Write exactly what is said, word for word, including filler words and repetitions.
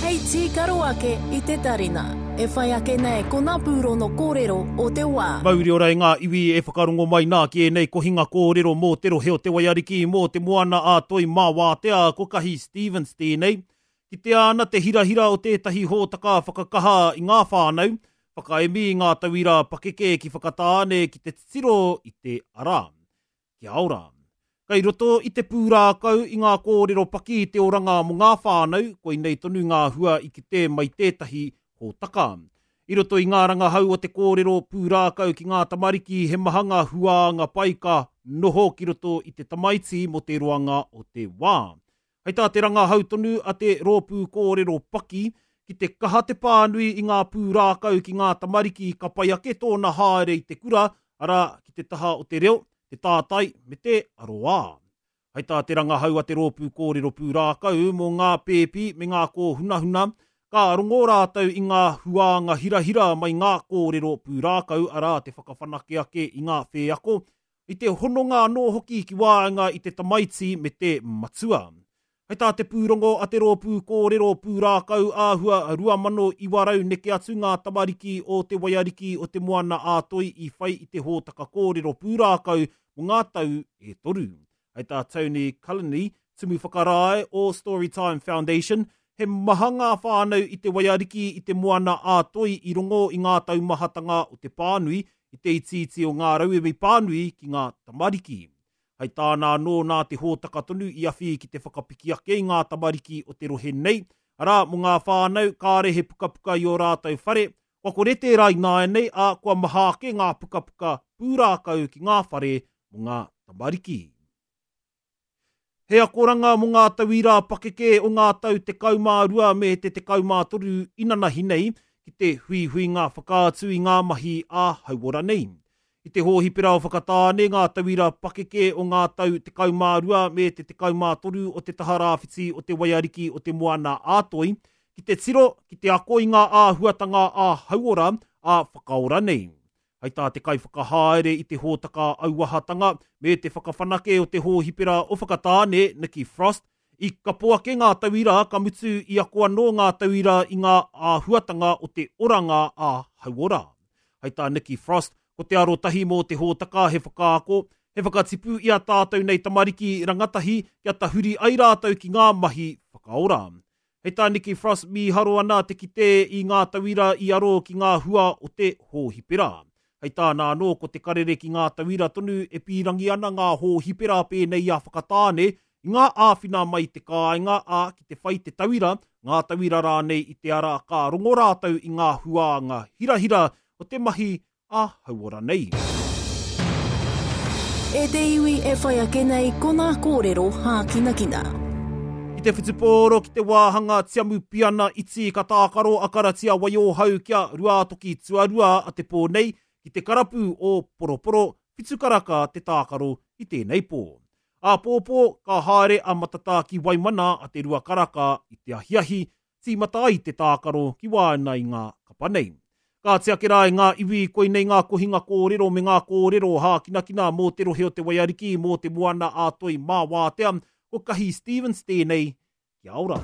Hei tīkaro ake i te tarina. E whai ake nei ko ngā pūrono kōrero o te wā. Mauri ora e ngā iwi e whakarongo mai nā ki ēnei kohinga kōrero mō te rohe o Te Waiariki, mō te moana a Toi mā Wātea, ko Kahi Stevens tēnei. Kitea ana te hirahira o tētahi hōtaka whakakaha i ngā whānau, whakaemi i ngā tauira pakeke ki Whakatāne ki te titiro i te ara. Kia ora. Kei roto i te pūrākau i ngā kōrero paki i te oranga mō ngā whānau, koinei tonu ngā hua i kite mai tētahi hōtaka. I roto i ngā rangahau o te kōrero pūrākau ki ngā tamariki he maha ngā huānga pai ka noho ki roto i te tamaiti mō te roanga o te wā. Hei tā te rangahau tonu a te rōpū kōrero paki, ki te kaha te pānui i ngā pūrākau ki ngā tamariki ka pai ake tōna haere i te kura, arā, ki te taha o te reo, te tātai me te aroā. Hei tā te rangahau a te rōpū kōrero pūrākau mō ngā pēpi me ngā kōhunahuna, ka rongo rātou i ngā huānga hirahira mai ngā kōrero pūrākau, arā te whakawhanake ake i ngā wheako, i te hononga anō hoki ki waenga i te tamaiti me te matua. Hei tā te pūrongo a te rōpū kōrero pūrākau āhua rua mano iwa rau neke atu ngā tamariki o Te Waiariki o Te Moana a Toi i whai i te hōtaka kōrero pūrākau mō ngā tau e toru. Hei tā Tony Culliney, tumu whakarae o Storytime Foundation, he maha ngā whānau i Te Waiariki i Te Moana a Toi i rongo i ngā taumahatanga o te pānui, i te itiiti o ngā rauemi pānui ki ngā tamariki. Hei tāna anō nā te hōtaka tonu i awhi ki te whakapiki ake i ngā tamariki o te rohe nei, arā, mō ngā whānau kāre he pukapuka i ō rātou whare, kua kore tērā ināianei, ā, kua maha ake ngā pukapuka pūrākau ki ngā whare mō ngā tamariki. He akoranga mō ngā tauira pakeke o ngā tau tekau mā rua me te tekau mā toru inanahi nei ki te huihuinga whakaatu i ngā mahi ā-hauora nei. I te hōhipera o Whakatāne ngā tauira pakeke o ngā tau tekau mā rua me te tekau mā toru o te taha rāwhiti o te Waiariki o te Moana a Toi, ki te tiro, ki te ako i ngā āhuatanga ā-hauora, ā-whakaora nei. Hei tā te kaiwhakahaere i te hōtaka auahatanga me te whakawhanake o te hōhipera o Whakatāne, Nikki Frost, i kapo ake ngā tauira ka mutu i ako anō ngā tauira i ngā āhuatanga o te oranga ā-hauora. Hei tā Nikki Frost, ko te arotahi mō te hōtaka he whakaako, he whakatipu i a tātou nei tamariki rangatahi kia tahuri ai rātou ki ngā mahi whakaora. Hei tā Nikki Frost mīharo ana te kite i ngā tauira i aro ki ngā hua o te hōhipera. Hei tāna anō ko te karere ki ngā tauira tonu e pīrangi ana ngā hōhipera pēnei i a Whakatāne i ngā āwhina mai te kāinga ā ki te whai te tauira, ngā tauira rānei i te ara ka rongo rātou i ngā huānga hirahira o te mahi ā-hauora nei. E te iwi e whai ake nei ko ngā kōrero hākinakina. Ki te whutupōro ki te wāhanga tiamu piana iti ka tākaro a Karatia Waiohau kia Ruātoki tuarua a te pō nei ki te karapu o Poroporo, whitu karaka te tākaro i tēnei pō. Āpōpō ka haere a Matatā ki Waimana a te rua karaka i te ahiahi, tīmata ai te tākaro ki waenga i ngā kapa nei. Ka tiake rā e ngā iwi koinei ngā kohinga kōrero me ngā kōrero hākinakina mō te rohe o Te Waiariki, mō te moana a Toi mā Wātea, ko Kahi Stevens tēnei, kia ora.